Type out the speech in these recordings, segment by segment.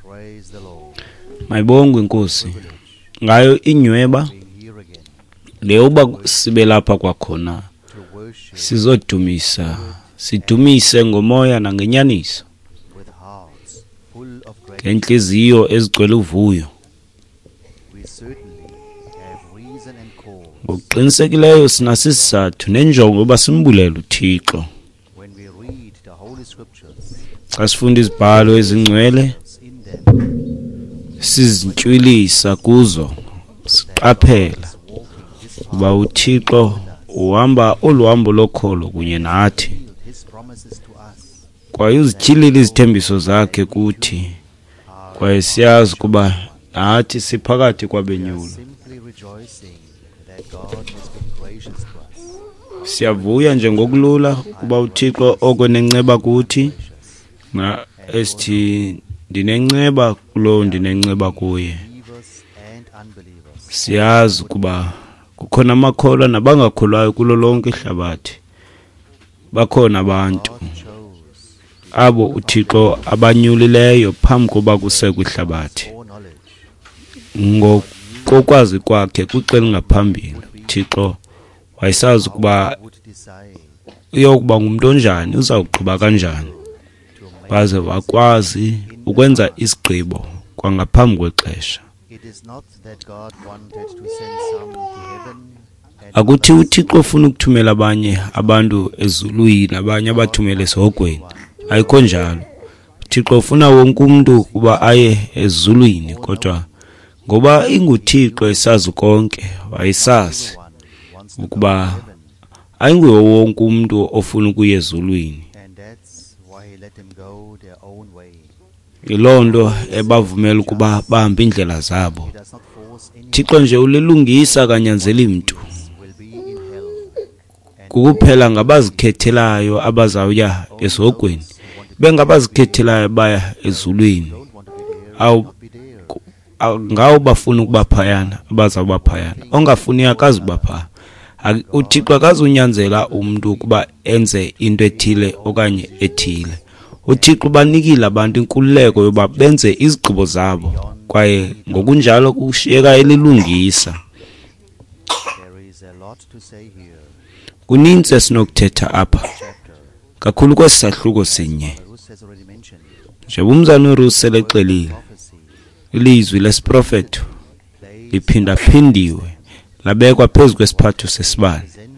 Praise the Lord. Mayibongwe inkosi ngayo inyweba Being here again le uba sibe lapha kwakhona to worship sizodumisa sidumise ngomoya nangenyaniso with hearts full of gratitude. ngentliziyo ezigcwele uvuyo. We certainly have reason and cause Ngokuqinisekileyo sinasisizathu nenjongo yoba simbulele uThixo. when we read the Holy Scriptures Xa sifunda izibhalo ezingcwele in them sizintywilisa kuzo siqaphela is walking this ukuba path uThixo uhamba olu hambo lokholo kunye nathi revealed his promises to us kwaye uzityhilile izithembiso zakhe kuthi kwaye siyazi ukuba nathi siphakathi. We are kwabenyulo. simply rejoicing that God has been gracious to us. Siyavuya nje ngokulula ukuba uThixo oko nenceba kuthi Gracious. na esithi ndinenceba kulowo ndinenceba kuye. Believers and unbelievers. Siyazi ukuba kukhona amakholwa nabangakholwayo kulo lonke ihlabathi. Bakhona abantu God chose abo uThixo abanyulileyo phambi koba kusekwe ihlabathi. foreknowledge Ngokokwazi kwakhe kwixa elingaphambili uThixo wayesazi ukuba would decide uyokuba ngumntu onjani, uzawugqiba kanjani, to make waze wakwazi ukwenza isigqibo kwangaphambi kwexesha. It is not that God wanted to send some to heaven and Akuthi others uThixo ufuna ukuthumela abanye abantu ezulwini, abanye abathumele esihogweni. Ayikho njalo. uThixo ufuna wonke umntu ukuba aye ezulwini, kodwa ngoba inguThixo esazi konke, wayesazi one wants to go to ukuba heaven, ayinguye wonke umntu ofuna ukuya ezulwini. and that's why he let them go their own way. Yiloo nto ebavumela ukuba bahambe iindlela zabo. He does not force anyone Thixo nje ulilungisa akanyanzeli mntu. will be in hell and Kukuphela ngabazikhethelayo abazawuya esihogweni, who want to bengabazikhethelayo baya ezulwini. don't want to be there Awu will not be there. ngawo bafuna ukuba phayana abazawuba phayana, ongafuni akazuba phaa. UThixo akazunyanzela umntu ukuba enze into ethile okanye ethile. UThixo ubanikile abantu inkululeko yoba benze izigqibo zabo kwaye ngokunjalo kushiyeka elilungisa. There is a lot to say here. Kunintsi esinokuthetha apha Chapter. kakhulu kwesi sahluko sinye. Ruth has already mentioned Njengoba umzana uRuth selexelile, prophecy ilizwi lesiprofeto placed liphindaphindiwe labekwa phezu kwesiphatho sesibane. presented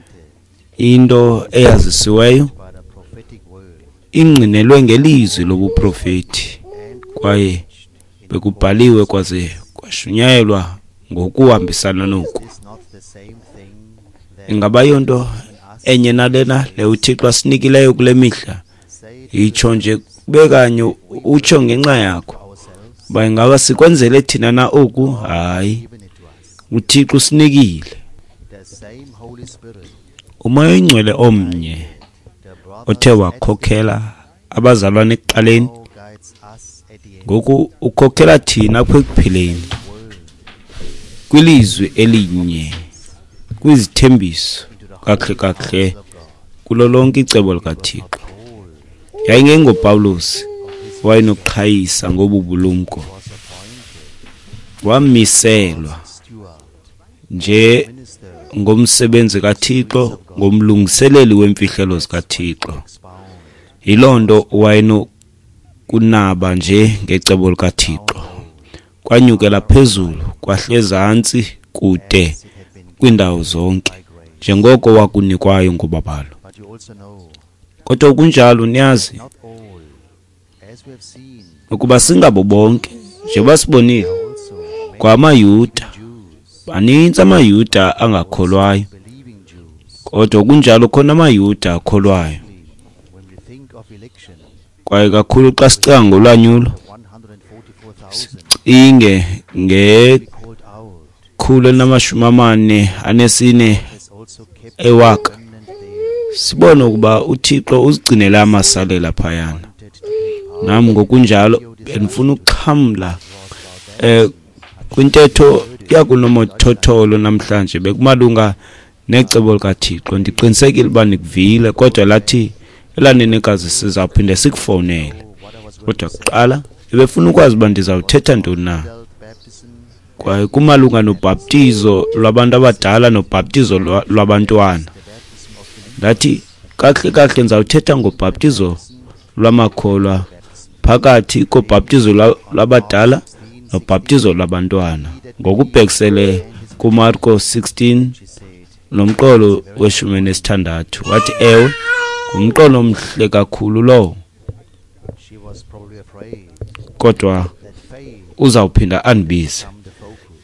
Into eyazisiweyo by the prophetic word ingqinelwe ngelizwi lobuprofeti and kwaye preached in bekubhaliwe kwaze kwashunyayelwa ngokuhambisana noku. Is not the same thing that Ingaba yonto given us enye nalena le uThixo asinikileyo kule mihla? say to Itsho nje kube kanye utsho ngenxa yakho. ourselves Uba ingaba sikwenzele thina na oku? Hayi, given it to us. uThixo usinikile. The same Holy Spirit Umoya oyingcwele omnye the brothers othe at wakhokhela abazalwane ekuqaleni now guides us at the end. ngoku ukhokhela thina apha ekuphileni Word kwilizwi elinye kwizithembiso into the kakuhle kakuhle house of God. kulo lonke icebo likaThixo. Paul YayingengoPawulos wayenokuqhayisa ngobu bulumko, was appointed wamiselwa steward, nje minister, ngomsebenzi kaThixo, ngomlungiseleli wemfihlelo zikaThixo. expound Yiloo nto wayenokunaba nje ngecebo likaThixo. Kwanyukela phezulu kwahle ezantsi kude as it had been kwiindawo zonke by grace. njengoko wakunikwayo ngobabalo. But you also know Kodwa kunjalo niyazi not all, as we have seen, ukuba singabo bonke njengoba sibonile also many kwamaYuda Jews, banintsi amaYuda angakholwayo, believing Jews. kodwa kunjalo khona amaYuda akholwayo. When we think of election, Kwaye kakhulu xa sicinga ngolwanyulo, the 144,000 cinge ngekhulu be called out elinamashumi amane anesine has also kept ewaka. the remnant there, Sibone ukuba uThixo uzigcinele amasalela phayana. wanted to take part. Nam ngokunjalo bendifuna ukuxhamla Was about that kwintetho yakunomathotholo namhlanje bekumalunga necebo likaThixo. Ndiqinisekile uba nikuvile, kodwa lathi elanenekazi sizawuphinde sikufowunele. what I was going Kodwa to say kuqala Ebefuna ukwazi uba ndizawuthetha ntoni na. Kwaye kumalunga nobhaptizo lwabantu abadala nobhaptizo lwabantwana. Ndathi, kakuhle kakuhle ndizawuthetha ngobhaptizo lwamakholwa phakathi kobhaptizo lwabadala nobhaptizo lwabantwana, ngokubhekisele kuMarko 16 nomqolo we-16. Wathi, ewe, ngumqolo omhle kakhulu lowo, kodwa uzawuphinda andibize.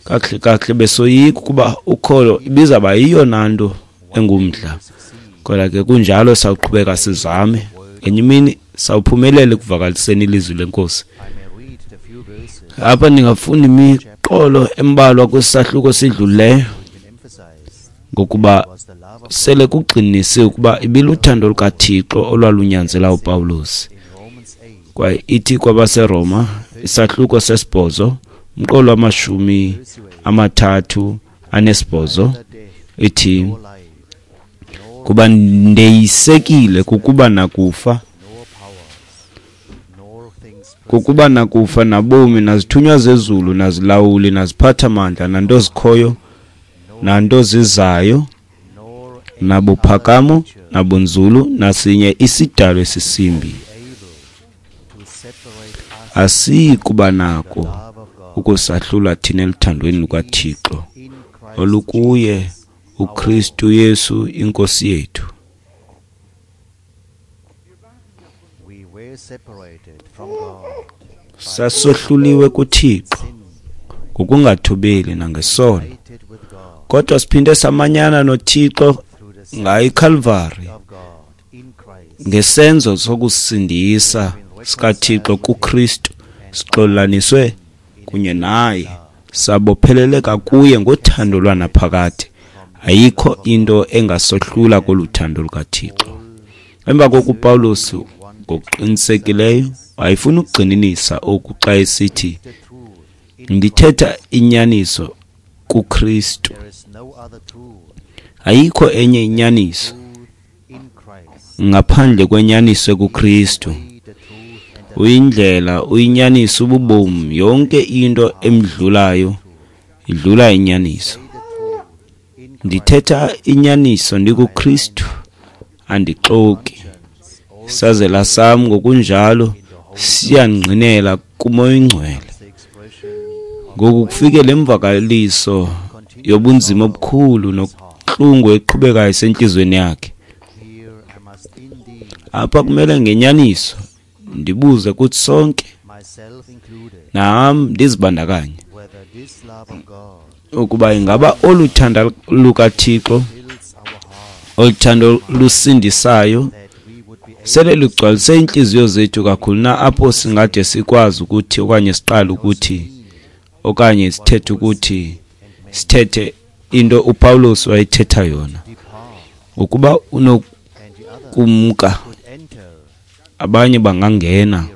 Kakuhle kakuhle besoyika ukuba ukholo ibizaba yiyona nto engumdla, kodwa ke kunjalo sawuqhubeka sizame. Ngenye imini sawuphumelela ekuvakaliseni ilizwi leNkosi. Apha ndingafunda imiqolo embalwa kwisahluko sidlulileyo, ngokuba sele kugxinisiwe ukuba ibiluthando lukaThixo olwalunyanzela uPawulos. Kwaye ithi kwabaseRoma isahluko 8 umqolo wa-38 ithi, kuba ndeyisekile kukuba nakufa, kukuba nakufa nabomi, nazithunywa zezulu, nazilawuli, naziphathamandla, nanto zikhoyo, nanto zizayo, nabuphakamo, nabunzulu, nasinye isidalwa esisimbi, asiyi kuba nako ukusahlula thina eluthandweni lukaThixo olukuye uKristu Yesu iNkosi yethu. Sasohluliwe kuThixo ngokungathobeli nangesono, kodwa siphinde samanyana noThixo ngayo iKalvari, ngesenzo sokusindisa sikaThixo kuKristu. Sixolelaniswe kunye naye, sabopheleleka kuye ngothando lwanaphakade. Ayikho into engasohlula kolu thando lukaThixo. Emva koku uPawulos ngokuqinisekileyo wayefuna ukugxininisa oku xa esithi, ndithetha inyaniso kuKristu. Ayikho enye inyaniso ngaphandle kwenyaniso ekuKristu. Uyindlela, uyinyaniso, ububomi. Yonke into emdlulayo idlula inyaniso. Ndithetha inyaniso ndikuKristu, andixoki. Isazela sam ngokunjalo siyangqinela kuMoya oyiNgcwele. Ngoku kufike le mvakaliso yobunzima obukhulu nobuhlungu eqhubekayo esentliziyweni yakhe. Apha kumele ngenyaniso ndibuze kuthi sonke, nam ndizibandakanye, ukuba ingaba olu thando lukaThixo, olu thando lusindisayo, sele lugcwalise iintliziyo zethu kakhulu na, apho singade sikwazi ukuthi okanye siqale ukuthi okanye sithethe ukuthi sithethe into uPawulos wayethetha yona, ukuba unokumka abanye bangangena,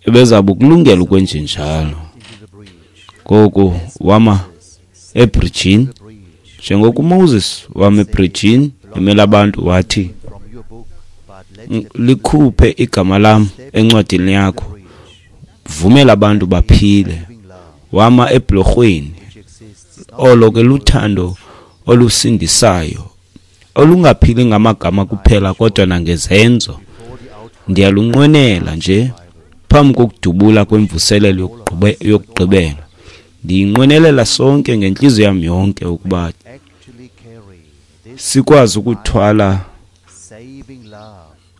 ebezaba ukulungela ukwenjenjalo. Ngoku wama ebridgini, njengoko uMoses wama ebridgini emela abantu, wathi, likhuphe igama lam encwadini yakho, vumela abantu baphile. Wama eblorhweni. Olo ke luthando olusindisayo, olungaphili ngamagama kuphela kodwa nangezenzo. Ndiyalunqwenela nje phambi kokudubula kwemvuselelo yokugqibela. Ndiyinqwenelela sonke ngentliziyo yam yonke ukuba sikwazi ukuthwala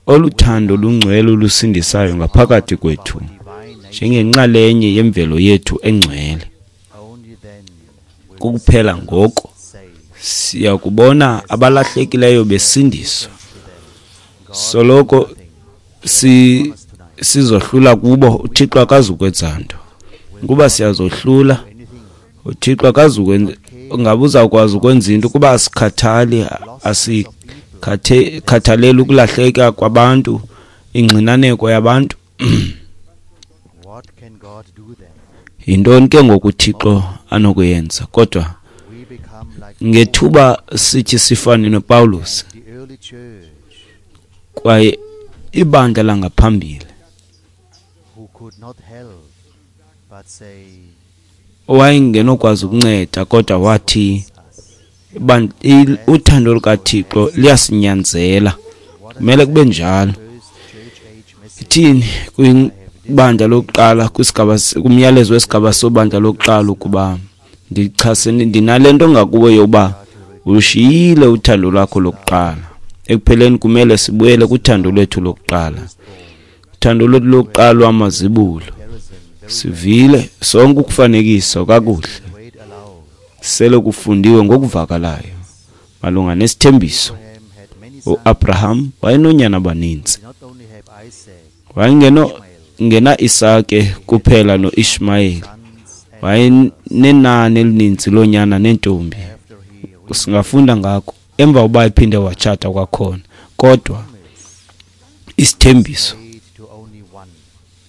oluthando lungcwele olusindisayo ngaphakathi kwethu njengenxalenye yemvelo yethu engcwele. Kukuphela ngoko siyakubona abalahlekileyo besindiswa. Soloko sizohlula kubo, uThixo akazukwenza nto. Ukuba siyazohlula, uThixo akazukwenza, ngabe uzawukwazi ukwenza into ukuba asikhathali, asikhathaleli ukulahleka kwabantu, ingxinaneko yabantu. Yintoni ke ngoku uThixo anokuyenza? Kodwa ngethuba sithi sifane noPawulos kwaye ibandla langaphambili Owayengenokwazi ukunceda, kodwa wathi uthando lukaThixo liyasinyanzela, kumele kube njalo. Ithini kwibandla lokuqala, kwisigaba, kumyalezo wesigaba sobandla lokuqala, ukuba ndichasene, ndinale nto ngakuwe yokuba ushiyile uthando lwakho lokuqala. Ekupheleni kumele sibuyele kuthando lwethu lokuqala, uthando lwethu lokuqala lwamazibulo. Sivile sonke ukufanekiswa kakuhle, sele kufundiwe ngokuvakalayo malunga nesithembiso. UAbraham wayenonyana abaninzi, wayengeno ngena Isake kuphela noIshmayeli, wayenenani elininzi loonyana neentombi. Singafunda ngako emva uba ephinde watshata kwakhona, kodwa isithembiso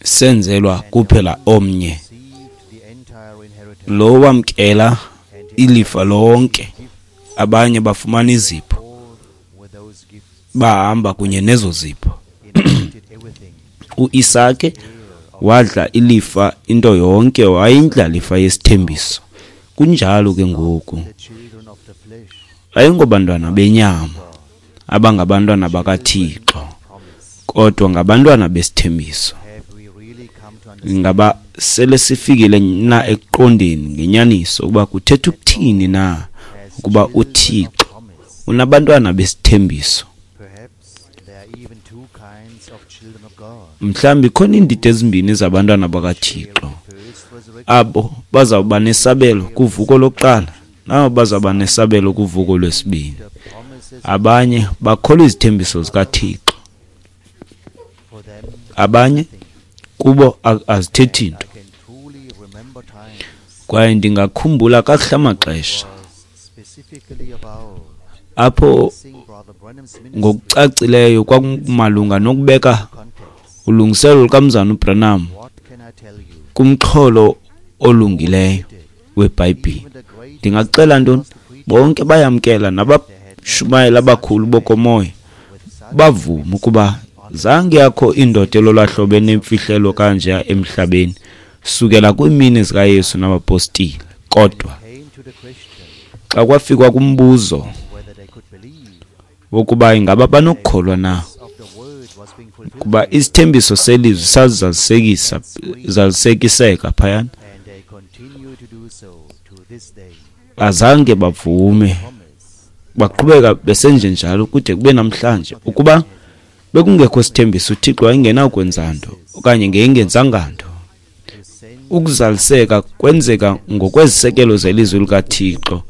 senzelwa kuphela omnye, lo wamkela ilifa lonke. Abanye bafumana izipho, bahamba kunye nezo zipho. UIsake wadla ilifa into yonke, wayindlalifa yesithembiso. Kunjalo ke ngoku, ayingobantwana benyama abangabantwana bakaThixo, kodwa ngabantwana besithembiso. Ngaba sele sifikile na ekuqondeni ngenyaniso ukuba kuthetha ukuthini na ukuba uThixo unabantwana besithembiso? Mhlawumbi khona iindidi ezimbini zabantwana bakaThixo, abo bazawuba nesabelo kuvuko lokuqala nabo bazawuba nesabelo kuvuko lwesibini. Abanye bakholwa izithembiso zikaThixo, abanye kubo azithethi nto. Kwaye ndingakhumbula kakuhle amaxesha apho ngokucacileyo kwakumalunga nokubeka ulungiselelo lukaMzana uBranham kumxholo olungileyo weBhayibhile. Ndingaxela ntoni? Bonke bayamkela, nabashumayeli abakhulu bokomoya bavuma ukuba zange yakho indoda elolwa hlobo enemfihlelo kanje emhlabeni sukela kwiimini zikaYesu nabapostile. Kodwa xa kwafikwa kumbuzo wokuba ingaba banokukholwa na kuba isithembiso selizwi sazalisekisa zalisekiseka phayana, azange bavume, baqhubeka besenjenjalo kude kube namhlanje. Ukuba bekungekho sithembiso, uThixo wayengenakwenza nto okanye ngeyingenzanga nto. Ukuzaliseka kwenzeka ngokwezisekelo zelizwi likaThixo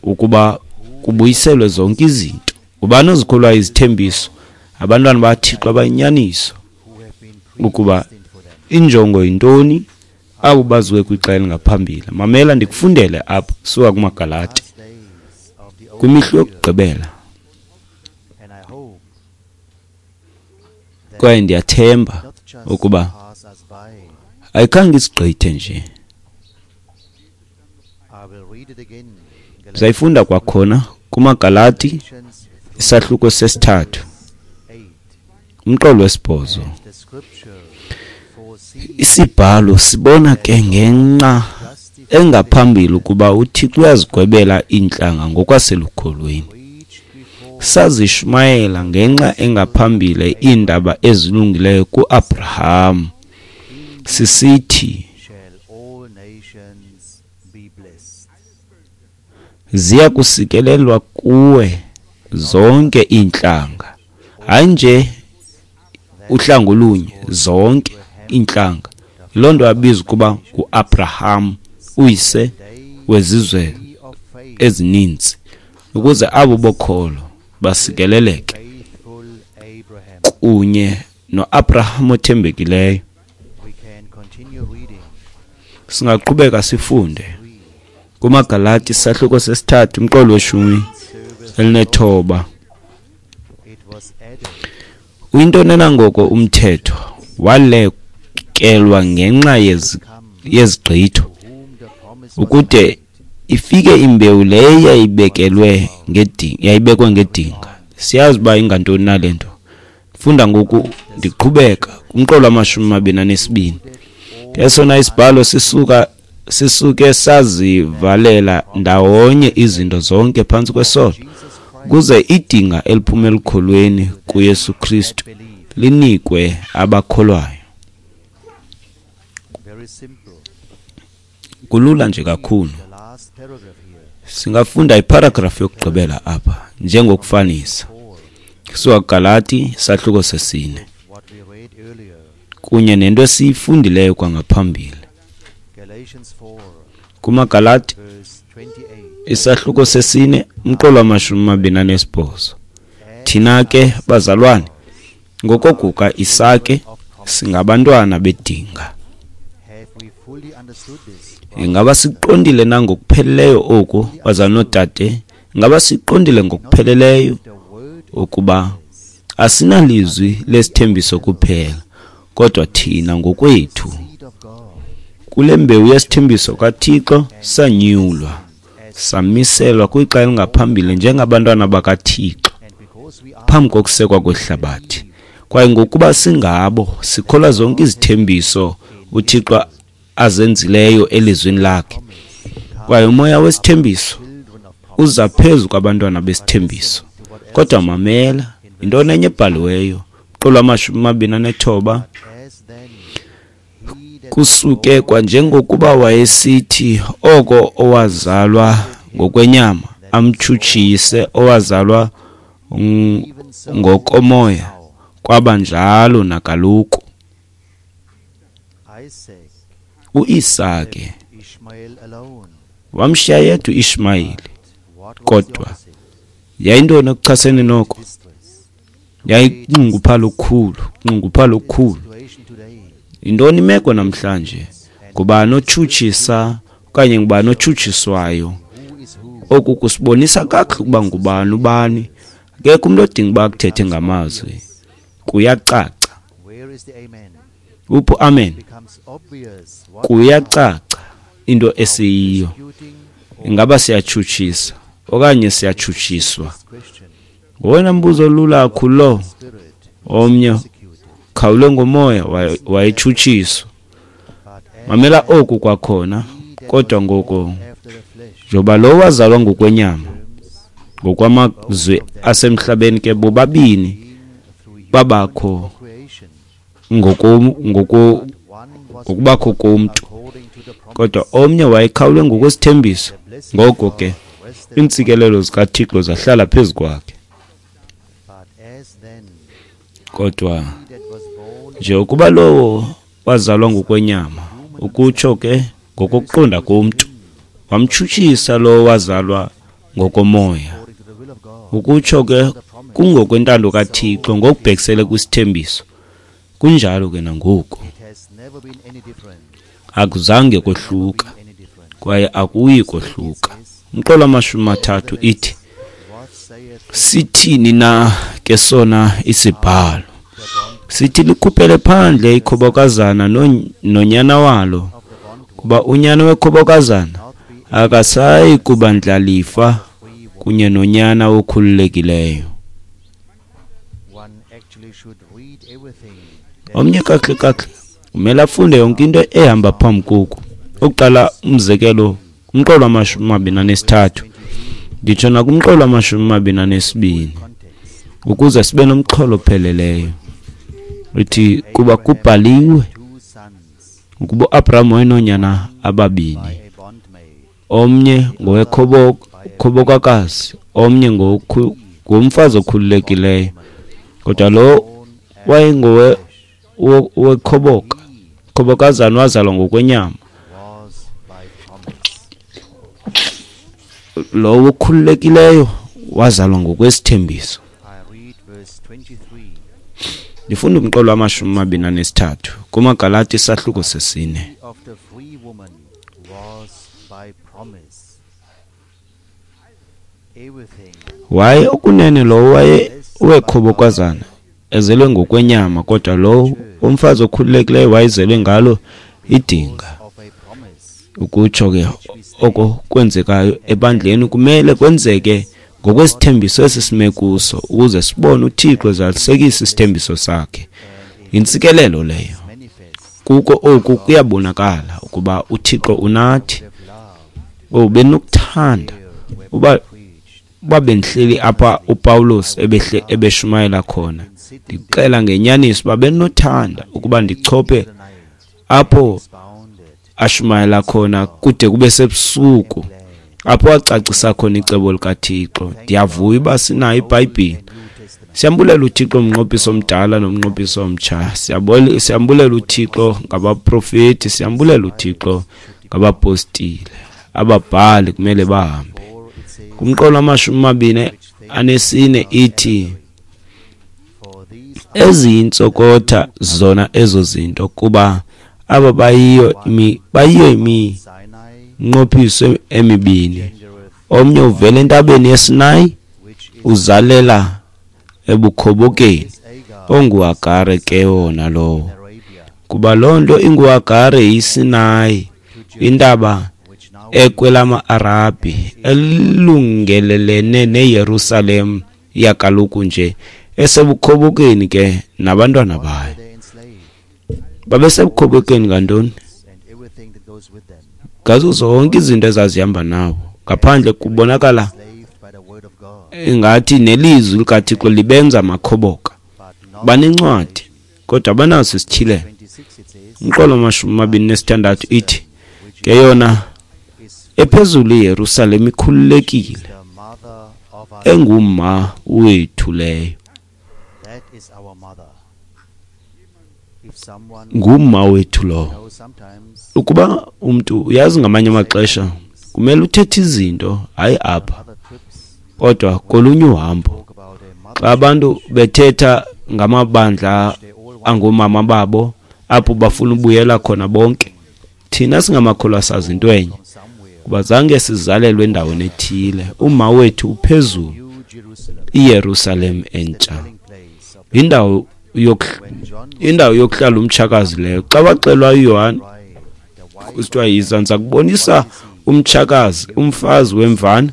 ukuba kubuyiselwe zonke izinto. Ubani ozikholwayo izithembiso? Abantwana baThixo abayinyaniso. Ukuba injongo yintoni? Abo baziwe kwixa elingaphambili. Mamela ndikufundele apha suka kumaGalati kwimihla yokugqibela. Kwaye ndiyathemba ukuba ayikhange isigqithe nje. Ndizayifunda kwakhona kumaGalati isahluko sesithathu umqolo wesibhozo. Isibhalo sibona ke ngenxa engaphambili ukuba uThixo uyazigwebela iintlanga ngokwaselukholweni. Sazishumayela ngenxa engaphambili iindaba ezilungileyo kuAbraham, sisithi ziya kusikelelwa kuwe zonke iintlanga. Hayi nje uhlanga olunye, zonke iintlanga. Yiloo nto abizwa ukuba nguAbraham, uyise wezizwe ezininzi, ukuze abo bokholo basikeleleke kunye noAbraham othembekileyo. Singaqhubeka sifunde kumaGalati isahluko sesithathu umqolo weshumi elinethoba. Uyintoni na ngoko umthetho? Walekelwa ngenxa yezigqitho, ukude ifike imbewu leyo yayibekelwe ngedinga, yayibekwe ngedinga. Siyazi uba ingantoni na le nto. Funda ngoku ndiqhubeka kumqolo wama-22. Esona isibhalo sisuke sazivalela ndawonye izinto zonke phantsi kwesono, ukuze idinga eliphuma elukholweni kuYesu Kristu linikwe abakholwayo. Kulula nje kakhulu. Singafunda iparagrafu yokugqibela apha njengokufanisa. Kusuka kuGalati isahluko 4 kunye nento esiyifundileyo kwangaphambili. KumaGalati isahluko 4 umqolo wama-28. Thina ke bazalwane, ngokokuka Isake singabantwana bedinga. Ingaba siqondile na ngokupheleleyo oku, bazalwane noodade? Ingaba siqondile ngokupheleleyo ukuba asinalizwi lesithembiso kuphela, kodwa thina ngokwethu kule mbewu yesithembiso kaThixo sanyulwa, samiselwa kwixa elingaphambili njengabantwana bakaThixo phambi kokusekwa kwehlabathi. Kwaye ngokuba singabo, sikholwa zonke izithembiso uThixo azenzileyo elizwini lakhe. Kwaye umoya wesithembiso uza phezu kwabantwana besithembiso. Kodwa mamela, yintoni enye ebhaliweyo? Umqolo wama-29. Kusuke kwanjengokuba wayesithi oko owazalwa ngokwenyama amtshutshise owazalwa ngokomoya, kwaba njalo nakaloku. UIsake wamshiya yedwa uIshmayeli, kodwa yayintoni ekuchasene noko? Yayinxunguphala okukhulu, nxunguphala okukhulu. Yintoni imeko namhlanje? Ngubani otshutshisa okanye ngubani otshutshiswayo? Oku kusibonisa kakuhle ukuba ngubani ubani. Akekho umntu odinga uba akuthethe ngamazwi. Kuyacaca. Uphi amen? Kuyacaca into esiyiyo. Ingaba siyatshutshisa okanye siyatshutshiswa? Ngowona mbuzo olula kakhulu lo. Omnye khawule ngomoya wayetshutshiswa. Mamela oku kwakhona, kodwa ngoko njengoba lo wazalwa ngokwenyama, ngokwamazwi asemhlabeni ke bobabini babakho ngokubakho komntu, kodwa omnye wayekhawulwe ngokwesithembiso. Ngoko ke iintsikelelo zikaThixo zahlala phezu kwakhe. Kodwa nje ukuba lowo wazalwa ngokwenyama, ukutsho ke ngokokuqonda komntu, wamtshutshisa lowo wazalwa ngokomoya, ukutsho ke kungokwentando kaThixo ngokubhekisele kwisithembiso. Kunjalo ke nangoku. Akuzange kohluka kwaye akuyi kohluka. Umqolo wama-30 ithi, sithini na ke sona isibhalo? Sithi likhuphele phandle ikhobokazana nonyana walo, kuba unyana wekhobokazana akasayi kuba ndlalifa kunye nonyana okhululekileyo. Omnye kakuhle kakuhle umele afunde yonke into ehamba phambi koku. Ukuqala umzekelo kumqolo wama-23, nditsho nakumqolo wama-22, ukuze sibe nomxholo opheleleyo. Ithi kuba kubhaliwe ukuba uAbraham wayenoonyana ababini, omnye ngowekhobokakazi, omnye ngomfazi okhululekileyo. Kodwa lo wayengowekhoboka, khobokazana wazalwa ngokwenyama, lowo okhululekileyo wazalwa ngokwesithembiso. Ndifunda umqolo wama-23 kumaGalati isahluko 4. Waye okunene lowo waye wekhobokazana ezelwe ngokwenyama, kodwa lowo umfazi okhululekileyo wayezelwe ngalo idinga. Ukutsho ke oko kwenzekayo ebandleni kumele kwenzeke ngokwesithembiso esi sime kuso, ukuze sibone uThixo ezalisekisa isithembiso sakhe. Yintsikelelo leyo. Kuko oku kuyabonakala ukuba uThixo unathi. Oh, benokuthanda uba bendihleli apha uPawulos ebeshumayela khona. Ndixela ngenyaniso uba benothanda ukuba ndichophe apho ashumayela khona kude kube sebusuku, apho wacacisa khona icebo likaThixo. Ndiyavuya uba sinayo iBhayibhile. Siyambulela uThixo umnqophiso omdala nomnqophiso omtsha. Siyambulela uThixo ngabaprofeti, siyambulela uThixo ngabapostile. Ababhali kumele bahambe. Kumqolo 24 ithi, eziyintsokotha zona ezo zinto, kuba aba bayiyo iminqophiso emibini. Omnye uvela entabeni yeSinayi, uzalela ebukhobokeni, onguHagare ke wona lowo. Kuba loo nto inguHagare yiSinayi, intaba ekwelama-Arabhi, elungelelene neYerusalem yakaloku nje, esebukhobokeni ke nabantwana bayo. Babesebukhobokeni ngantoni? Ngazo zonke izinto ezazihamba nabo. Ngaphandle kubonakala ingathi nelizwi likaThixo libenza amakhoboka. Banencwadi, kodwa abanaso isityhilelo. Umqolo 26 ithi, ke yona ephezulu iYerusalem ikhululekile, enguma wethu leyo. Nguma wethu lowo. Ukuba umntu uyazi ngamanye amaxesha kumele uthethe izinto, hayi apha, kodwa kolunye uhambo. Xa abantu bethetha ngamabandla angomama babo, apho bafuna ubuyela khona bonke, thina singamakholwa sazi into enye, kuba zange sizalelwe endaweni ethile. Uma wethu uphezulu, iYerusalem entsha, indawo yokuhlala umtshakazi leyo. Xa waxelwa uYohane kusithiwa yiza ndiza kubonisa umtshakazi, umfazi wemvana,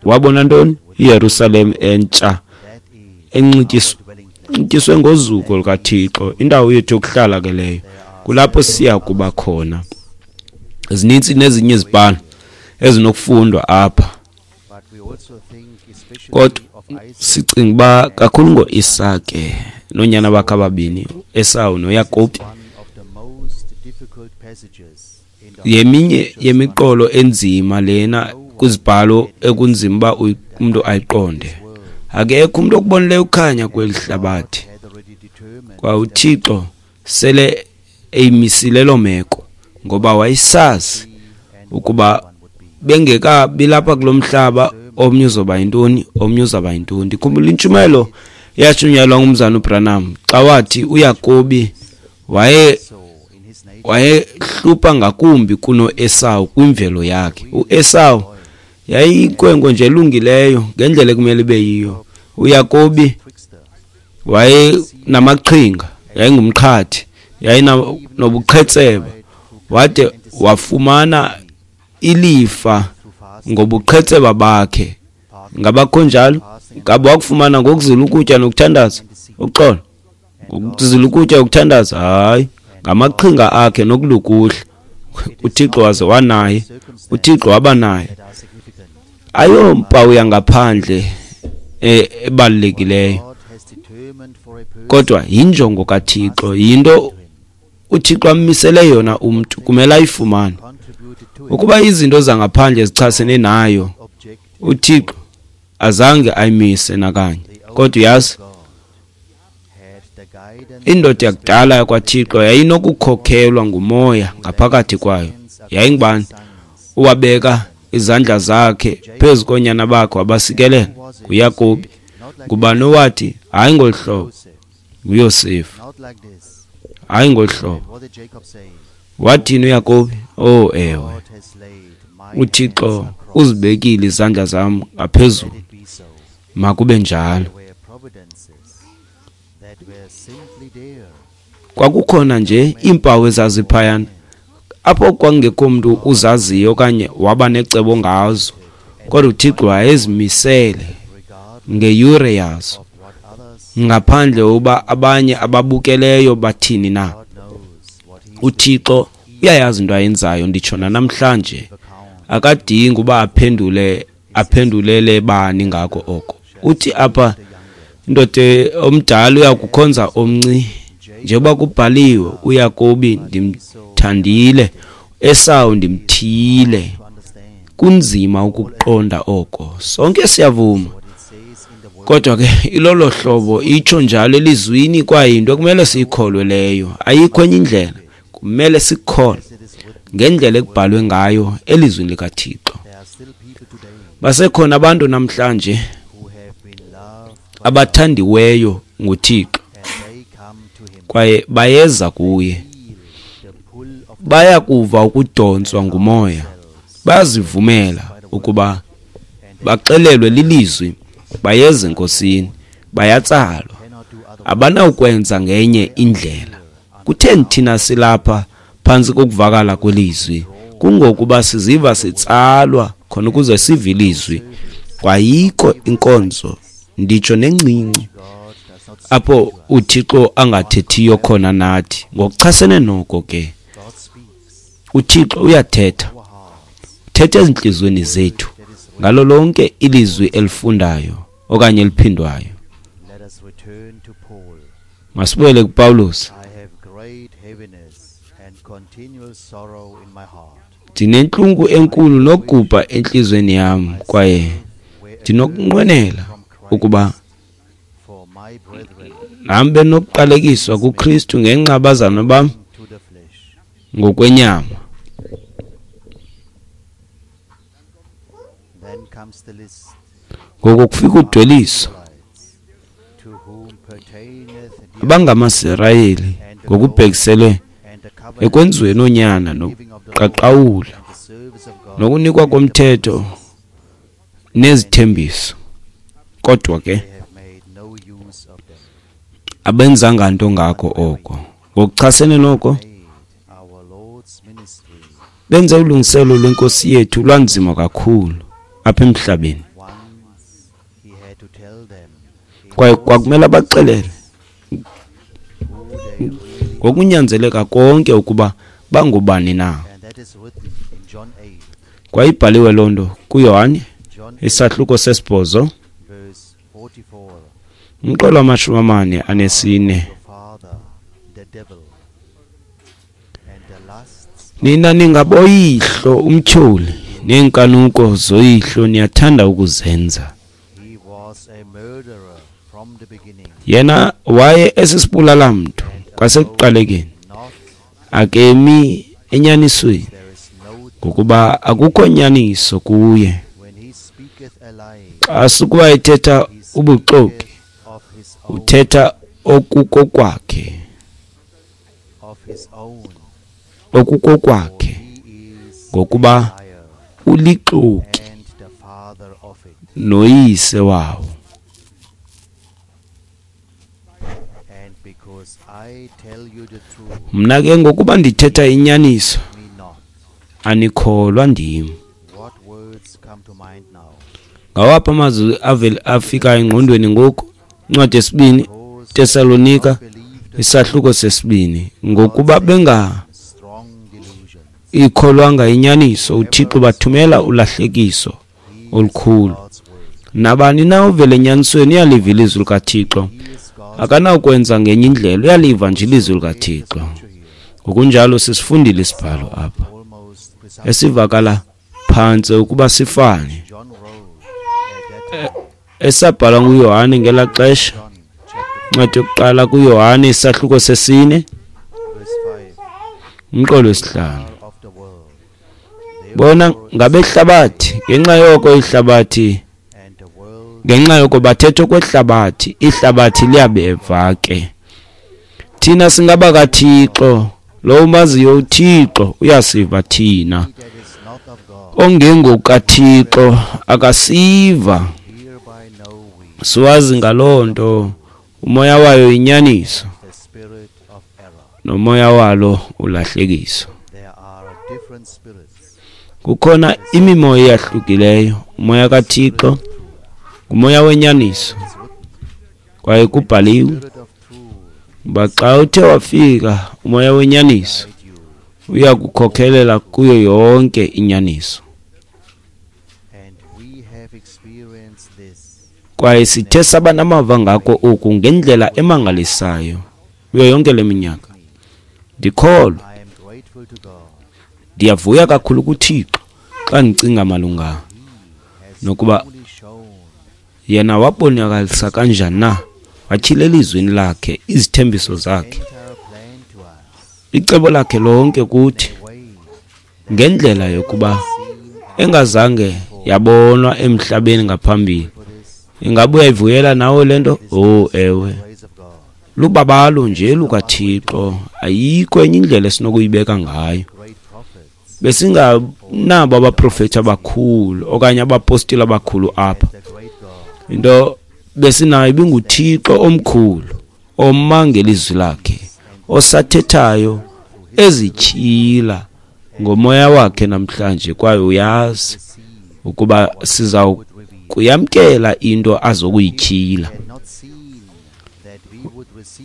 wabona ntoni? iYerusalem entsha enxityiswe ngozuko lukaThixo, indawo yethu yokuhlala ke leyo. Kulapho siya kuba khona. Zininzi nezinye izibhalo ezinokufundwa apha, kodwa sicinga uba kakhulu ngoIsake noonyana bakhe ababini, Esawu noYakobi. Yeminye yemiqolo enzima lena kwizibhalo ekunzima uba umntu ayiqonde. Akekho umntu okubonileyo ukukhanya kweli hlabathi. Kwa uThixo sele eyimisile loo meko, ngoba wayesazi ukuba bengekabi lapha kulo mhlaba, omnye uzoba yintoni, omnye uzawuba yintoni. Ndikhumbula intshumayelo eyashunyayelwa ngumzana uBranham xa wathi uYakobi wayehlupha ngakumbi kunoEsawu kwimvelo yakhe. UEsawu yayiyinkwenkwe nje elungileyo ngendlela ekumele ibe yiyo. uYakobi wayenamaqhinga, yayingumqhathi, yayinobuqhetseba, wade wafumana ilifa ngobuqhetseba bakhe. Ngabakho njalo? Ngaba wakufumana ngokuzila ukutya nokuthandaza? Uxolo, ngokuzila ukutya nokuthandaza? Hayi, ngamaqhinga akhe nokulukuhla. uThixo waze wanaye, uThixo waba naye. Ayompawu yangaphandle ebalulekileyo, kodwa yinjongo kaThixo, yinto uThixo ammisele yona umntu, kumele ayifumane. Ukuba izinto zangaphandle zichasene nayo, uThixo azange ayimise nakanye. Kodwa uyazi, indoda yakudala yakwaThixo yayinokukhokhelwa ngumoya ngaphakathi kwayo. Yayingubani? Uwabeka izandla zakhe phezu koonyana bakhe wabasikelela, nguYakobi. Ngubani owathi hayi ngolu hlobo? NguYosefu. Hayi ngolu hlobo. Wathini uYakobi? Oh ewe, uThixo uzibekile izandla zam ngaphezulu, makube njalo. Kwakukhona nje iimpawu ezaziphayana apho kwakungekho mntu uzaziyo okanye waba necebo ngazo. Kodwa uThixo wayezimisele ngeyure yazo, ngaphandle uba abanye ababukeleyo bathini na. UThixo uyayazi into ayenzayo, nditsho namhlanje. Akadingi uba aphendulele bani ngako oko. Uthi apha indoda omdala uyakukhonza omnci, njengoba kubhaliwe, uYakobi ndimthandile, Esawu ndimthiyile. Kunzima ukuqonda oko, sonke siyavuma. Kodwa ke ilolo hlobo itsho njalo elizwini, kwaye yinto ekumele siyikholwe leyo. Ayikho enye indlela, kumele sikholwe ngendlela ekubhalwe ngayo elizwini likaThixo. Basekhona abantu namhlanje abathandiweyo nguThixo, kwaye bayeza kuye. Bayakuva ukudonswa ngumoya, bayazivumela ukuba baxelelwe lilizwi, bayeza eNkosini, bayatsalwa. Abanawukwenza ngenye indlela. Kutheni thina silapha phantsi kokuvakala kwelizwi? Kungokuba siziva sitsalwa khona ukuze sive ilizwi. Kwayikho inkonzo, nditsho nencinci, apho uThixo angathethiyo khona nathi. Ngokuchasene noko ke, uThixo uyathetha, uthetha ezintliziyweni zethu ngalo lonke ilizwi elifundayo okanye eliphindwayo. Masibuyele kuPawulos. Ndinentlungu enkulu nokugubha entliziyweni yam, kwaye ndinokunqwenela ukuba nam benokuqalekiswa kuKristu ngenxa abazalwana bam ngokwenyama. Ngoko kufika udweliso abangamaSirayeli ngokubhekisele ekwenziweni oonyana nokuqaqawula nokunikwa komthetho nezithembiso, kodwa ke abenzanga nto ngako oko. Ngokuchasene noko, benze ulungiselo lwenkosi yethu lwanzima kakhulu apha emhlabeni, kwaye kwakumele abaxelele ngokunyanzeleka konke ukuba bangubani na. Kwaye ibhaliwe loo nto kuYohane isahluko 8, umqolo 44. Nina ningaboyihlo umtyholi, neenkanuko zoyihlo niyathanda ukuzenza. Yena waye esisibulala-mntu kwasekuqalekeni, akemi enyanisweni, ngokuba akukho nyaniso kuye. Xa sukuba ethetha ubuxoki, uthetha okukokwakhe, ngokuba ulixoki noyise wawo. Mna ke ngokuba ndithetha inyaniso, anikholwa ndim. Ngawaphi amazwi afika engqondweni ngoku? Incwadi yesibini Tesalonika isahluko 2. Ngokuba benga ikholwanga inyaniso, uThixo bathumela ulahlekiso olukhulu. Nabani na ovela enyanisweni uyaliva ilizwi likaThixo, akanawukwenza ngenye indlela, uyaliva nje ilizwi likaThixo. Ngokunjalo sisifundile isibhalo apha esivakala phantse ukuba sifane esabhalwa nguYohane ngelaa xesha. Incwadi yokuqala kuYohane isahluko 4, umqolo 5. Bona ngabehlabathi, ngenxa yoko ihlabathi, ngenxa yoko bathetha okwehlabathi, ihlabathi liyabeva ke. Thina singabakaThixo, lo umaziyo uThixo uyasiva thina. OngengokaThixo akasiva. Siwazi ngaloo nto umoya wayo inyaniso, nomoya walo ulahlekiso. Kukhona imimoya eyahlukileyo, Umoya kaThixo ngumoya wenyaniso, kwaye kubhaliwe uba xa uthe wafika umoya wenyaniso uya kukhokhelela kuyo yonke inyaniso. Kwaye sithe saba namava ngako oku ngendlela emangalisayo kuyo yonke le minyaka. Ndikholwa, ndiyavuya kakhulu kuThixo xa ndicinga malunga nokuba yena wabonakalisa kanjani na, watyhila elizwini lakhe izithembiso zakhe, icebo lakhe lonke kuthi, ngendlela yokuba engazange yabonwa emhlabeni ngaphambili. Ingaba uyayivuyela nawe le nto? Oh, ewe. Lubabalo nje lukaThixo, ayikho enye indlela esinokuyibeka ngayo. Besinganabo abaprofethi abakhulu okanye abapostile abakhulu apha. Into besinayo ibinguThixo omkhulu oma ngelizwi lakhe, osathethayo ezityhila ngomoya wakhe namhlanje, kwaye uyazi ukuba siza kuyamkela into azokuyityhila.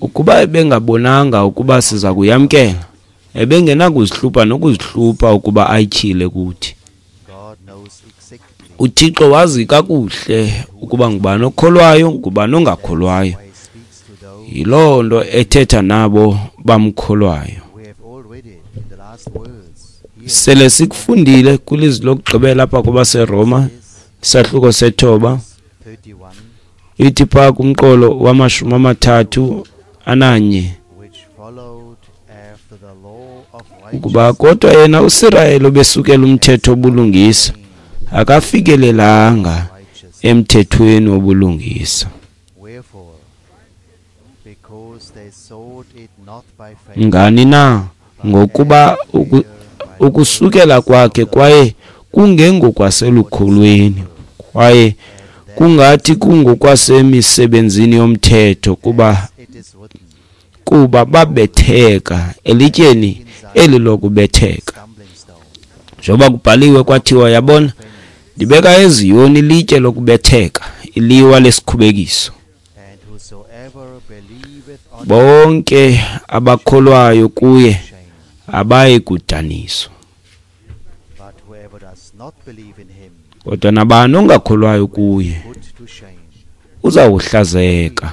Ukuba ebengabonanga ukuba siza kuyamkela, ebengenakuzihlupha nokuzihlupha ukuba ayityhile kuthi. UThixo wazi kakuhle ukuba ngubani okholwayo, ngubani ongakholwayo. Yiloo nto ethetha nabo bamkholwayo. Sele sikufundile kwilizwi lokugqibela apha kwabaseRoma, isahluko 9, ithi phaa kumqolo wa-31, ukuba kodwa yena uSirayeli obesukela umthetho wobulungisa akafikelelanga emthethweni wobulungisa. Ngani na? Ngokuba ukusukela kwakhe kwaye kungengokwaselukholweni, kwaye kungathi kungokwasemisebenzini yomthetho, kuba babetheka elityeni eli lokubetheka. Njengoba kubhaliwe kwathiwa, yabona, ndibeka eZiyoni ilitye lokubetheka, iliwa lesikhubekiso. Bonke abakholwayo kuye abayi kudaniswa. Kodwa nabani ongakholwayo kuye uzawuhlazeka.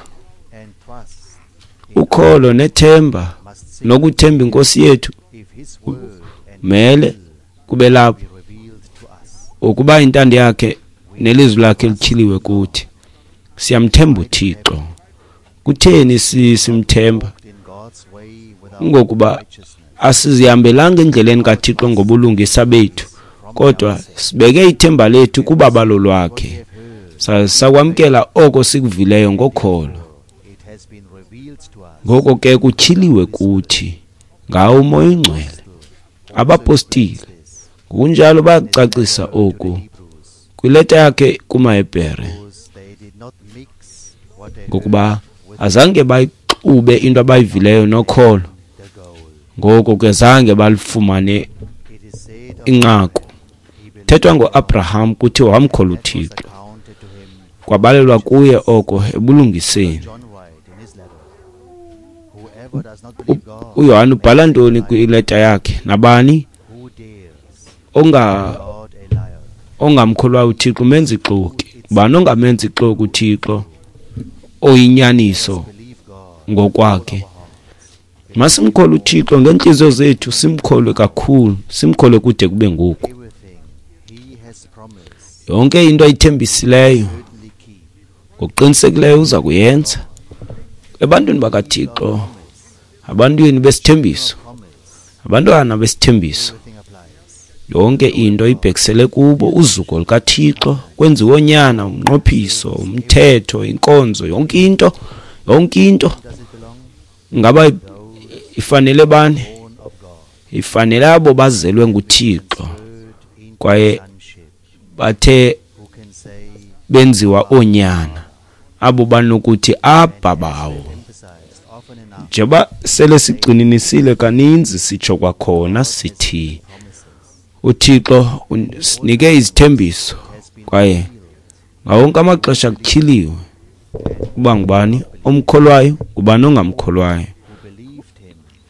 Ukholo nethemba nokuthemba inkosi yethu mele kube lapho ukuba intando yakhe nelizwi lakhe lityhiliwe kuthi. Siyamthemba uThixo. Kutheni simthemba? Ngokuba asizihambelanga endleleni kaThixo ngobulungisa bethu, kodwa sibeke ithemba lethu kubabalo lwakhe. Sakwamkela oko sikuvileyo ngokholo. Ngoko ke kutyhiliwe kuthi ngawo uMoya oyiNgcwele. Abapostile ngokunjalo bayakucacisa oku kwileta yakhe kumaHebhere, ngokuba azange bayixube into abayivileyo nokholo, ngoko ke zange balifumane inqaku. Thethwa ngoAbraham kuthiwa wamkholwa uThixo, kwabalelwa kuye oko ebulungiseni. uYohane ubhala ntoni kwileta yakhe? Nabani ongamkholwayo uThixo umenza ixoki. Ubani ongamenza ixoki uThixo oyinyaniso ngokwakhe? Masimkholwe uThixo ngeentliziyo zethu, simkholwe kakhulu, simkholwe kude kube ngoku. Yonke into ayithembisileyo ngokuqinisekileyo uza kuyenza. Ebantwini bakaThixo, abantwini besithembiso, abantwana besithembiso, yonke into ibhekisele kubo. Uzuko lukaThixo kwenziwe onyana, umnqophiso, umthetho, inkonzo, yonke into, yonke into. Ngaba ifanele bani? Ifanele abo bazelwe nguThixo kwaye bathe benziwa oonyana, abo banokuthi Abba bawo. Njengoba sele sigcininisile kaninzi, sitsho kwakhona sithi uThixo sinike izithembiso. Kwaye ngawonke amaxesha kutyhiliwe uba ngubani omkholwayo, ngubani ongamkholwayo.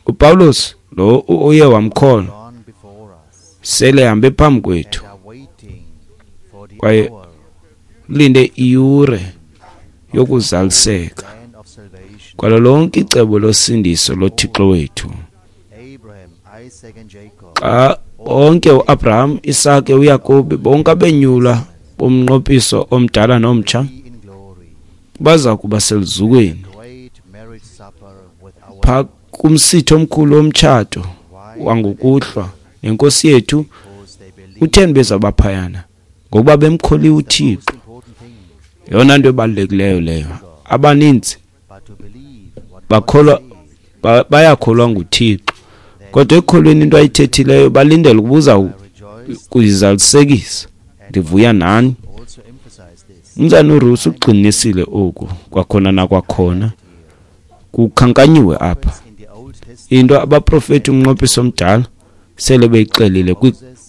UPawulos lo uye wamkholwa sele ehambe phambi kwethu kwaye ulinde iyure yokuzaliseka kwalo lonke icebo losindiso loThixo wethu. Xa bonke uAbraham, Isake, uYakobi, bonke abenyulwa bomnqophiso omdala nomtsha baza kuba seluzukweni phaa kumsitho omkhulu womtshato wangokuhlwa nenkosi yethu. Utheni bezabaphayana? Ngokuba bemkholiwe uThixo. Yeyona nto ebalulekileyo leyo. Abaninzi bakholwa, bayakholwa nguThixo, kodwa ekukholweni into ayithethileyo balindele ukuba uza kuyizalisekisa. Ndivuya nani. Umzana uRusi ugxininisile oku kwakhona nakwakhona, kukhankanyiwe apha into abaprofeti umnqophiso omdala sele beyixelile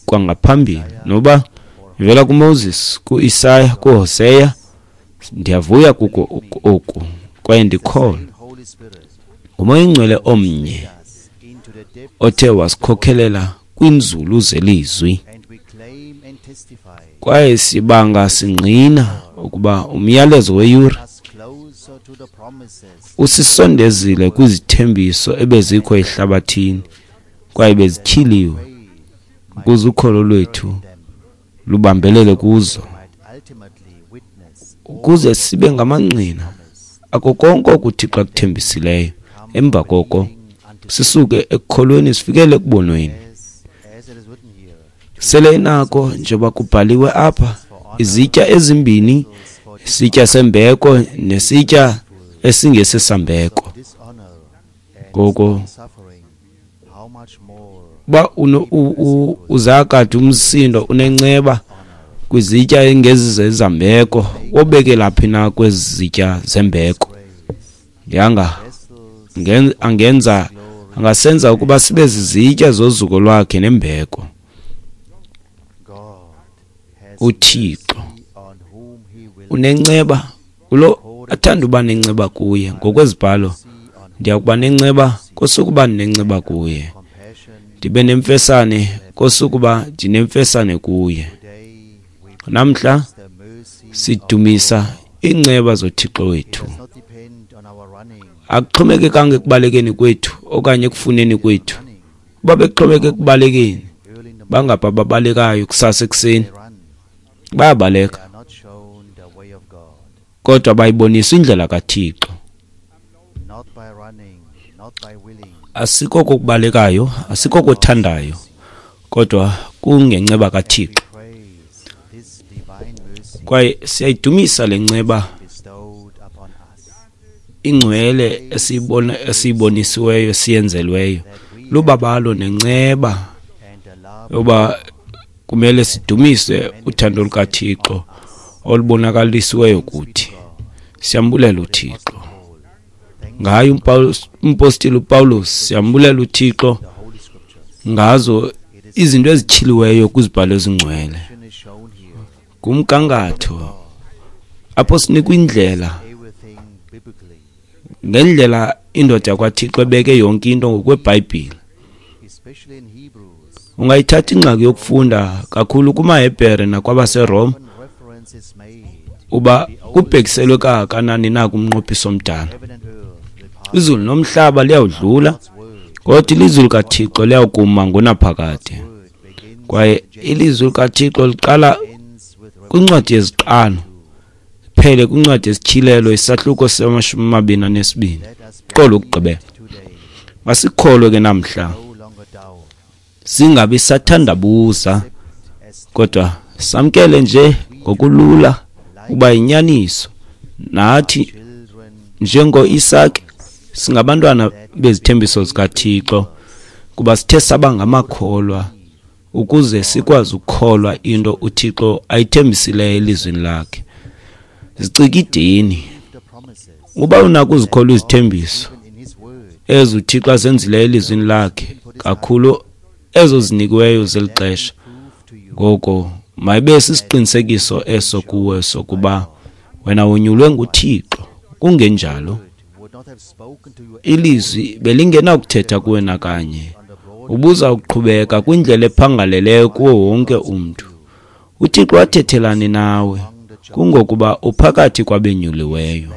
kwangaphambili, noba ivela kuMoses, kuIsaya, kuHoseya. Ndiyavuya kuko oku kwaye ndikholwa nguMoya oyiNgcwele omnye othe wasikhokhelela kwinzulu zelizwi, kwaye sibanga singqina ukuba umyalezo weyure usisondezile kwizithembiso ebezikho ehlabathini kwaye bezityhiliwe ukuze ukholo lwethu lubambelele kuzo, ukuze sibe ngamangqina ako konke okuThixo akuthembisileyo. Emva koko sisuke ekukholweni sifikele ekubonweni. Sele inako, njengoba kubhaliwe apha, izitya ezimbini, isitya sembeko nesitya esingesesambeko. Ngoko uba uzakade umsindo unenceba kwizitya engezizezambeko, wobekela phi na kwezi zitya zembeko? Yanga angenza angasenza ukuba sibe zizitya zozuko lwakhe nembeko. UThixo unenceba kulo athanda uba nenceba kuye. Ngokwezibhalo, ndiya kuba nenceba kosukuba ndinenceba kuye, ndibe nemfesane kosukuba ndinemfesane kuye. Namhla sidumisa iinceba zoThixo wethu. Akuxhomekekanga ekubalekeni kwethu okanye ekufuneni kwethu. Uba bekuxhomeke ekubalekeni, bangapha ababalekayo kusasa ekuseni, bayabaleka, kodwa bayibonisa indlela kaThixo. Asikoko kubalekayo, asikoko othandayo, kodwa kungenceba kaThixo. Kwaye siyayidumisa le nceba ingcwele esiyibonisiweyo, siyenzelweyo, lubabalo nenceba yoba kumele sidumise uthando lukaThixo olubonakalisiweyo kuthi. Siyambulela uThixo ngayo umpostile uPawulos, siyambulela uThixo ngazo izinto ezityhiliweyo kwizibhalo ezingcwele. Kumgangatho apho sinikwa indlela, ngendlela indoda yakwaThixo ebeke yonke into ngokweBhayibhile. Ungayithatha ingxaki yokufunda kakhulu kumaHebhere nakwabaseRoma uba kubhekiselwe kangakanani na kumnqophiso omdala. Izulu nomhlaba liyawudlula, kodwa ilizwi likaThixo liyawukuma ngonaphakade. Kwaye ilizwi likaThixo liqala kwincwadi yeziqalo phele kwincwadi yesityhilelo, isahluko se-22, qolo ukugqibela. Masikholwe ke namhla, singabi sathandabuza, kodwa samkele nje ngokulula uba yinyaniso. Nathi njengoIsake singabantwana bezithembiso zikaThixo, kuba sithe saba ngamakholwa ukuze sikwazi ukukholwa into uThixo ayithembisileyo elizwini lakhe. Zicikideni uba unako uzikholwa izithembiso ezo uThixo azenzileyo elizwini lakhe, kakhulu ezo zinikiweyo zeli xesha. Ngoko Mayibe sisiqinisekiso eso kuwe sokuba wena wonyulwe nguThixo. Kungenjalo, ilizwi belingenakuthetha kuwe nakanye. Ubuza ukuqhubeka kwindlela ephangaleleyo kuwo wonke umntu. UThixo wathethelani nawe, kungokuba uphakathi kwabenyuliweyo.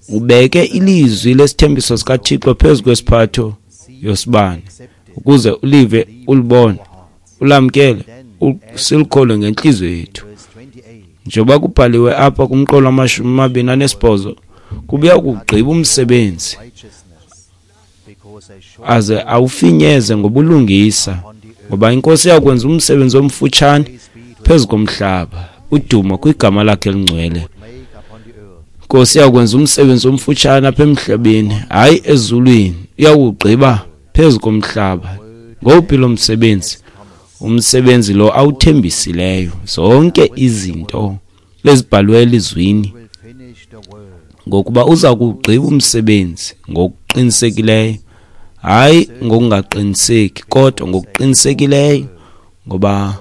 Ubeke ilizwi lesithembiso sikaThixo phezu kwesiphatho yosibane, ukuze ulive, ulibone, ulamkele, silikholwe ngentliziyo yethu. Njengoba kubhaliwe apha kumqolo wama-28, kubuya kugqiba umsebenzi aze awufinyeze ngobulungisa, ngoba iNkosi iyakwenza umsebenzi omfutshane phezu komhlaba. Udumo kwigama lakhe elingcwele. Nkosi iyakwenza umsebenzi omfutshane apha emhlabeni, hayi ezulwini, iyakugqiba phezu komhlaba. Ngowuphi lo msebenzi? Umsebenzi lo awuthembisileyo, zonke izinto ezibhalwe elizwini, ngokuba uza kugqiba umsebenzi ngokuqinisekileyo, hayi ngokungaqiniseki, kodwa ngokuqinisekileyo, ngoba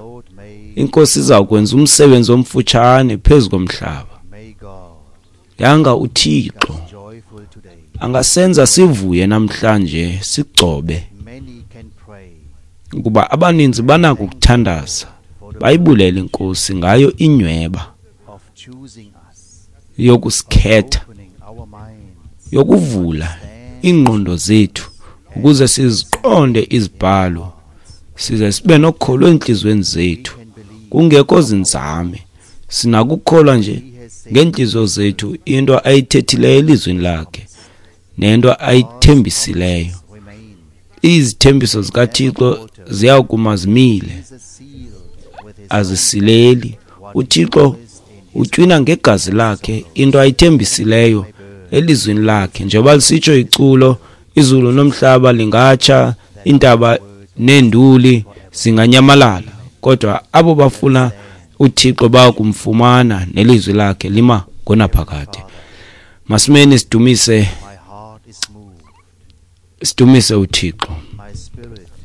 iNkosi iza kwenza umsebenzi omfutshane phezu komhlaba. Yanga uThixo angasenza sivuye namhlanje, sigcobe, ukuba abaninzi banako ukuthandaza bayibulele iNkosi ngayo inyweba yokusikhetha, yokuvula iingqondo zethu ukuze siziqonde izibhalo, size sibe nokholo entliziyweni zethu, kungekho zinzame. Sinakukholwa nje ngeentliziyo zethu into ayithethileyo elizwini lakhe nento ayithembisileyo. Izithembiso zikaThixo ziyakuma zimile, azisileli. uThixo utywina ngegazi lakhe into ayithembisileyo elizwini lakhe. Njengoba lisitsho iculo, izulu nomhlaba lingatsha, iintaba neenduli zinganyamalala, kodwa abo bafuna uThixo bayakumfumana, nelizwi lakhe lima ngonaphakade. Masimeni sidumise, sidumise uThixo.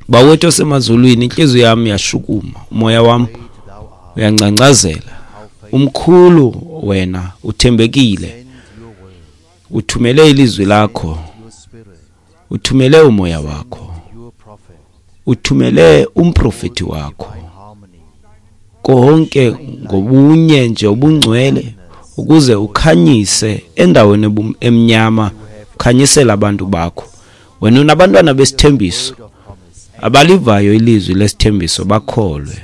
Bawethu osemazulwini, inhliziyo yami yashukuma, umoya wami uyangcangcazela. Umkhulu wena, uthembekile. Uthumele ilizwi lakho, uthumele umoya wakho, uthumele umprofeti wakho, konke ngobunye nje obungcwele, ukuze ukhanyise endaweni emnyama, ukhanyisele abantu bakho. Wena unabantwana besithembiso abalivayo ilizwi lesithembiso, bakholwe,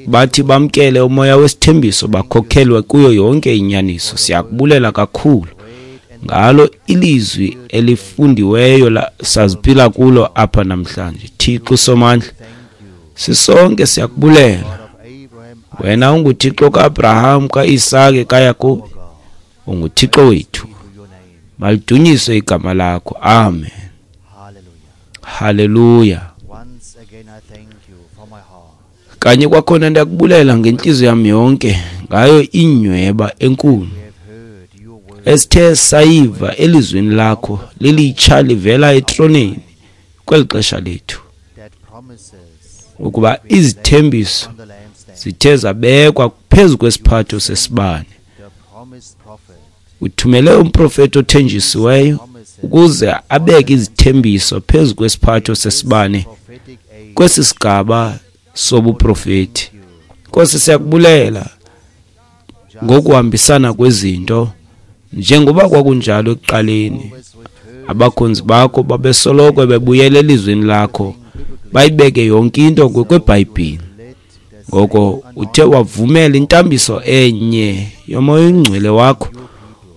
bathi bamkele umoya wesithembiso, bakhokhelwe kuyo yonke inyaniso. Siyakubulela kakhulu ngalo ilizwi elifundiweyo saziphila kulo apha namhlanje. Thixo Somandla, sisonke siyakubulela. Wena unguThixo kaAbraham, kaIsake, kaYakobi, unguThixo wethu. Malidunyiswe igama lakho. Amen. Haleluya. Kanye kwakhona ndiyakubulela ngentliziyo yami yonke ngayo inyweba enkulu esithe sayiva elizwini lakho lilitsha livela etroneni kweli xesha lethu, ukuba izithembiso zithe zabekwa phezu kwesiphatho sesibane. Uthumele umprofeti othenjisiweyo ukuze abeke izithembiso phezu kwesiphatho sesibane kwesi sigaba sobuprofeti. Nkosi, siyakubulela ngokuhambisana kwezinto njengoba kwakunjalo ekuqaleni. Abakhonzi bakho babesoloko bebuyela elizwini lakho, bayibeke yonke into ngokweBhayibhile. Ngoko uthe wavumela intambiso enye yomoya oyingcwele wakho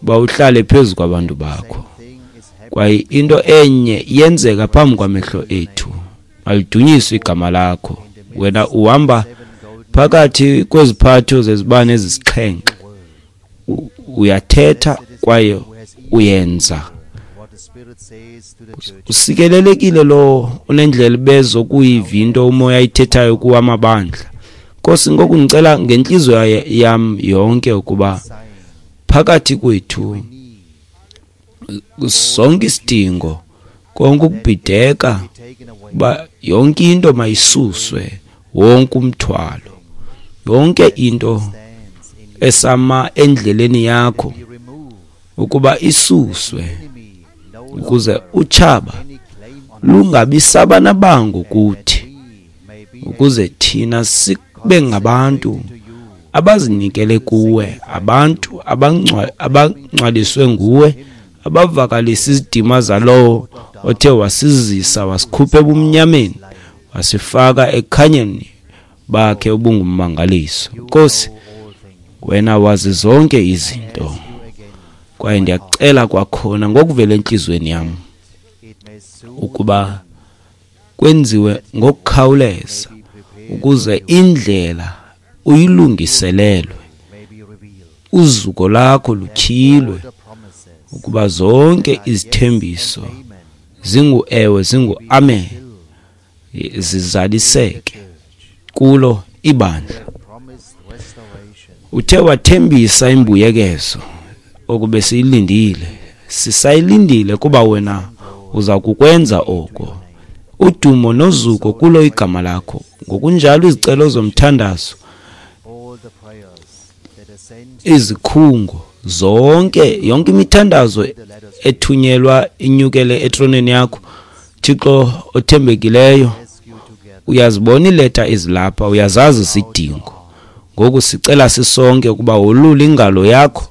uba uhlale phezu kwabantu bakho, kwaye into enye iyenzeka phambi kwamehlo ethu. Malidunyiswe igama lakho. Wena uhamba phakathi kweziphatho zezibane ezisixhenxe, uyathetha kwaye uyenza. Usikelelekile lo unendlela bezokuyiva into umoya ayithethayo kuwo amabandla. Nkosi, ngoku ndicela ngentliziyo yam yonke ukuba phakathi kwethu sonke isidingo Konke ukubhideka, uba yonke into mayisuswe, wonke umthwalo, yonke into esama endleleni yakho ukuba isuswe, ukuze utshaba lungabi sabanabango kuthi, ukuze thina sibe ngabantu abazinikele kuwe, abantu abangcwaliswe nguwe, abavakalisa izidima zalowo othe wasizisa wasikhupha ebumnyameni wasifaka ekukhanyeni bakhe obungummangaliso. Nkosi, wena wazi zonke izinto, kwaye ndiyakucela kwakhona ngokuvela entliziyweni yam ukuba kwenziwe ngokukhawuleza ukuze indlela uyilungiselelwe, uzuko lakho lutyhilwe, ukuba zonke izithembiso zingu-ewe, zingu-amen, zizaliseke kulo ibandla. Uthe wathembisa imbuyekezo okube siyilindile, sisayilindile kuba wena uza kukwenza oko. Udumo nozuko kulo igama lakho. Ngokunjalo izicelo zomthandazo, izikhungo zonke, yonke imithandazo ethunyelwa inyukele etroneni yakho, Thixo othembekileyo, uyazibona iileta ezilapha, uyazazi izidingo. Ngoku sicela sisonke ukuba wolule ingalo yakho,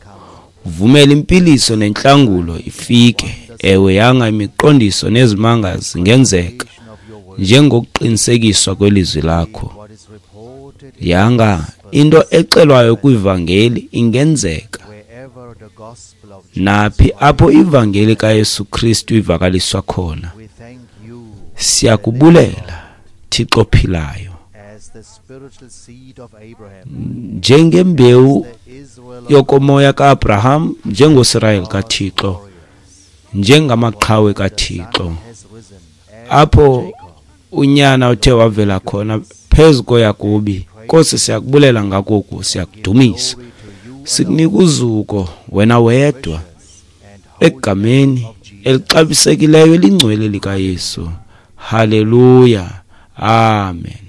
uvumele impiliso nentlangulo ifike. Ewe, yanga imiqondiso nezimanga zingenzeka njengokuqinisekiswa kwelizwi lakho. Yanga into exelwayo kwivangeli ingenzeka naphi apho ivangeli kaYesu Kristu ivakaliswa khona. Siyakubulela, Thixo ophilayo, njengembewu yokomoya kaAbraham, njengoSirayeli kaThixo, njengamaqhawe kaThixo, apho unyana uthe wavela khona phezu koYakobi. Nkosi, siyakubulela ngakoku, siyakudumisa, sikunika uzuko wena wedwa, egameni elixabisekileyo elingcwele likaYesu. Haleluya, amen.